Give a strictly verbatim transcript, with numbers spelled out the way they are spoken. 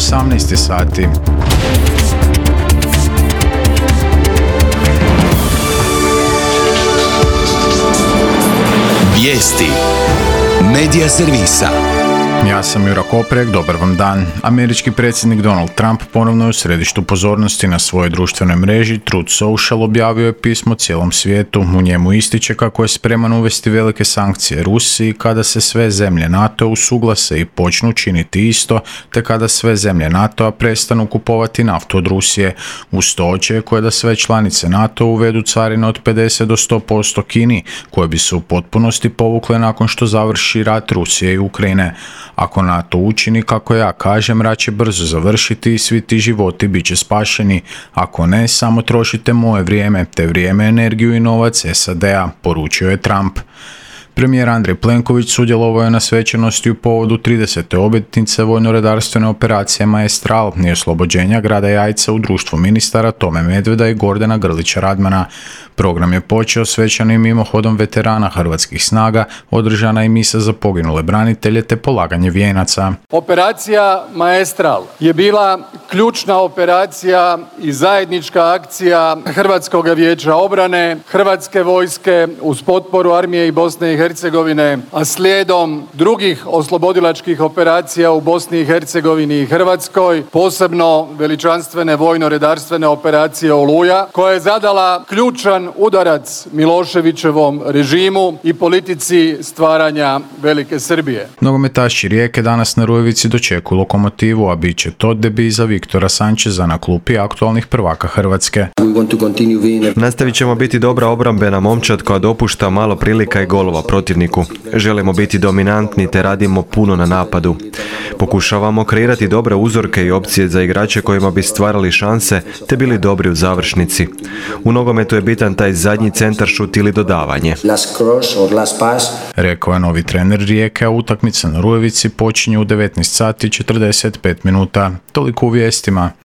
osamnaest sati. Vijesti Medija servisa. Ja sam Jura Koprek, dobar vam dan. Američki predsjednik Donald Trump ponovno je u središtu pozornosti. Na svojoj društvenoj mreži Truth Social objavio je pismo cijelom svijetu. U njemu ističe kako je spreman uvesti velike sankcije Rusiji kada se sve zemlje NATO usuglase i počnu činiti isto, te kada sve zemlje NATO-a prestanu kupovati naftu od Rusije. Uz to očekuje da sve članice NATO uvedu carine od pedeset do sto posto Kini, koje bi se u potpunosti povukle nakon što završi rat Rusije i Ukrajine. Ako NATO učini kako ja kažem, rat će brzo završiti i svi ti životi bit će spašeni. Ako ne, samo trošite moje vrijeme, te vrijeme, energiju i novac S A D-a, poručio je Trump. Premijer Andrej Plenković sudjelovao je na svečanosti u povodu tridesete obljetnice vojno-redarstvene operacije Maestral i oslobođenja grada Jajca u društvu ministara Tome Medveda i Gordana Grlića Radmana. Program je počeo svečanim mimohodom veterana hrvatskih snaga, održana i misa za poginule branitelje te polaganje vijenaca. Operacija Maestral je bila ključna operacija i zajednička akcija Hrvatskog vijeća obrane, Hrvatske vojske uz potporu Armije i Bosne i Hercegovine, a slijedom drugih oslobodilačkih operacija u Bosni i Hercegovini i Hrvatskoj, posebno veličanstvene vojno-redarstvene operacije Oluja, koja je zadala ključan udarac Miloševićevom režimu i politici stvaranja Velike Srbije. Nogometaši Rijeke danas na Rujevici dočekuju Lokomotivu, a bit će to debi za Viktora Sančeza na klupi aktualnih prvaka Hrvatske. Nastavit ćemo biti dobra obrambena momčad koja dopušta malo prilika i golova protivniku. Želimo biti dominantni te radimo puno na napadu. Pokušavamo kreirati dobre uzorke i opcije za igrače kojima bi stvarali šanse te bili dobri u završnici. U nogometu je bitan taj zadnji centaršut ili dodavanje. Rekao je novi trener Rijeke, a utakmica na Rujevici počinje u devetnaest sati i četrdeset pet minuta. Toliko u vijestima.